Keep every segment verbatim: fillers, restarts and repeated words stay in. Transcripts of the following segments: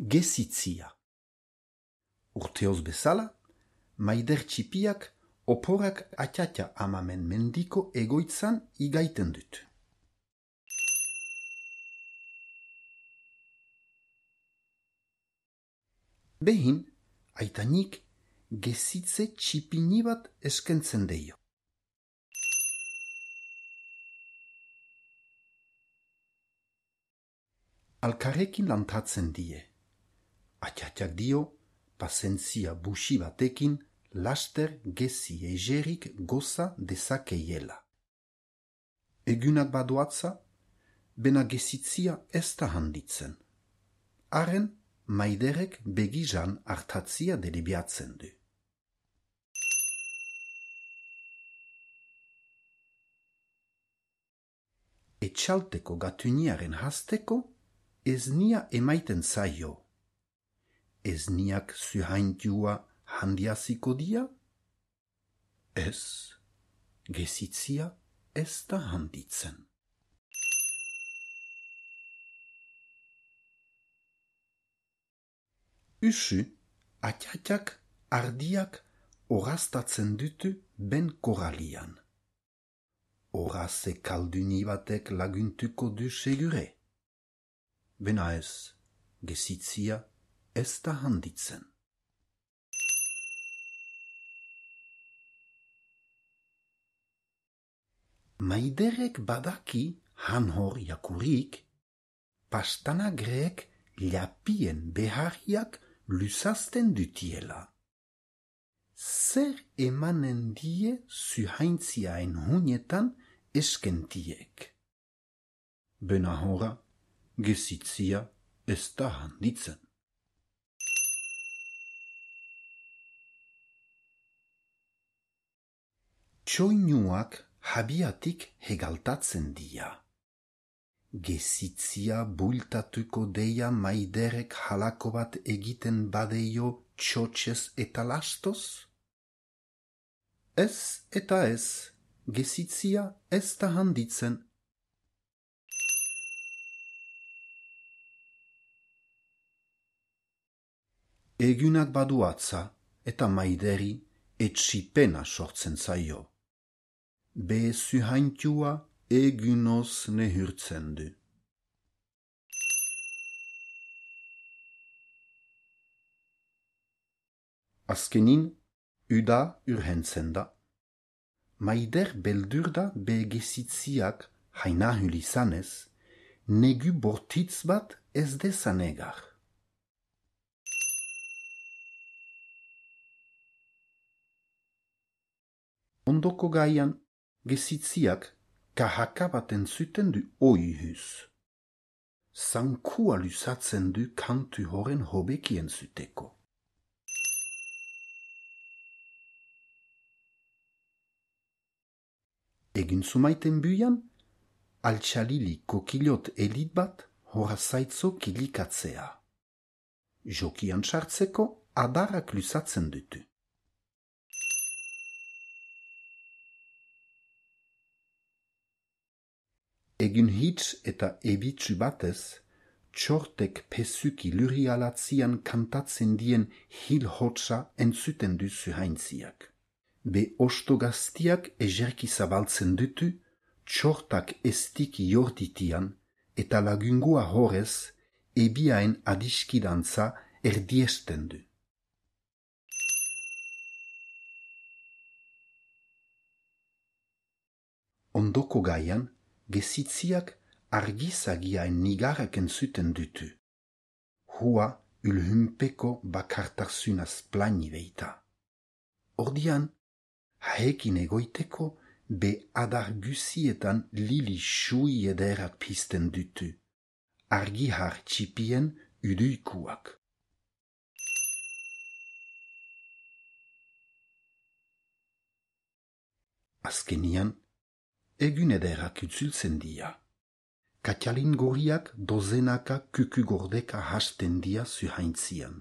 Gezitzia. Urteoz bezala, maider txipiak oporak atxatxa amamen mendiko egoitzan igaiten dut. Behin, aitanik gezitze txipini bat eskentzen deio. Alkarrekin lantatzen die. Atxatxak dio, pasentzia busi batekin laster gezi ejerik goza dezakeiela. Egunak badoatza, bena gezitzia ez da handitzen. Haren, maiderek begizan hartatzia delibiatzen du. Etxalteko gatuniaren hasteko, ez nia emaiten zaio. Ez niak zuhaintua handiaziko dia? Ez, gezitzia ez da handitzen. Usu, atxatxak ardiak horaztatzen dutu ben koralian. Horaze kalduni batek laguntuko du segure. Bena ez, gezitzia ez da handitzen. Maiderek badaki han hor jakurik, pastanagreek lapien beharriak luzazten dutiela. Zer emanen die zuhaintziaen hunetan eskentiek. Bena hora, gezitzia ez da handitzen. Txoinuak habiatik hegaltatzen dia. Gezitzia bultatuko deia maiderek halako bat egiten badeio txotxez eta lastoz? Ez eta ez, gezitzia ez da handitzen. Egunak baduatza eta maideri etxipena sortzen zaio. Be zuhaintua egunoz nehurtzen du. Azkenin, uda urhentzen da. Maider beldur da be gezitziak hainahul izanez, negu bortitz bat ez dezanegar. Ondoko gaian, gezitziak kahaka bat entzuten du oihuz. Zankua luzatzen du kantu horen hobeki entzuteko. Egin zumaiten buian, altxalili kokilot elit bat horazaitzo kilikatzea. Jokian sartzeko adarrak luzatzen dutu. Egin hitz eta ebitsu batez, txortek pesuki lurialatzian kantatzen dien hil hotsa entzuten du zuhaintziak. Be osto gaztiak ejerki zabaltzen dutu, txortak estiki jorditian eta lagungua horrez ebiaen adiskidantza erdiesten du. Ondoko gaian, gezitziak argizagiaen nigarrak entzuten dutu. Hua ulhunpeko bakartarzunaz plani beita. Ordian, haekin egoiteko be adar gusietan lili xui ederak pizten dutu. Argihar txipien uduikuak. Azkenian, egun ederak utzultzen dia. Katxalin goriak dozenaka kuku gordeka hasten dia zuhaintzian.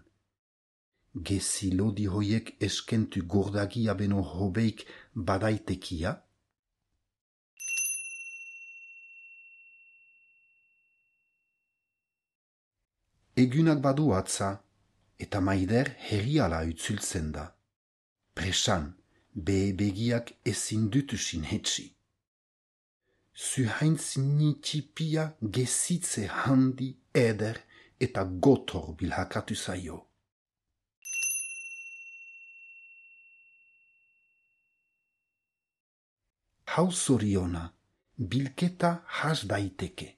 Gezi lodi hoiek eskentu gordagia beno hobeik badaitekia? Egunak badu atza, eta Maider herriala utzultzen da. Presan, behe begiak ezin dutu sinhetsi. Zuhaintz nitxipia gezitze handi, eder eta gotor bilhakatu zaio. Hau zoriona, bilketa has daiteke.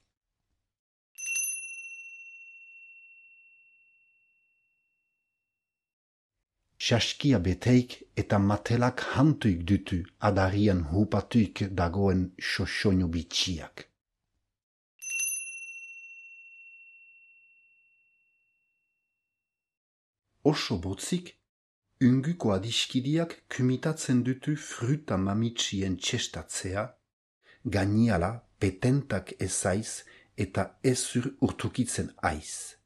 Saskia beteik eta matelak hantuik dutu adarian hupatuik dagoen xoxoño bitxiak. Oso botzik, unguko adiskidiak kumitatzen dutu fruta mamitsien txestatzea, gainiala petentak ezaiz eta ezur urtukitzen aiz.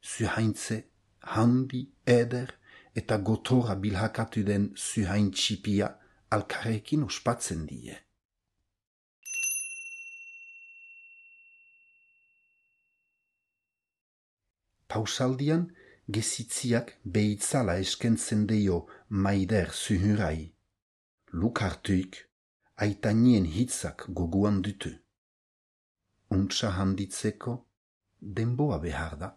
Zuhaintze, handi, eder, eta gotora bilhakatu den zuhain txipia alkarrekin ospatzen die. Pausaldian, gezitziak behitzala eskentzen deio Maider zuhurai. Luk hartuik, aitanien hitzak goguan dutu. Untsa handitzeko, denboa behar da.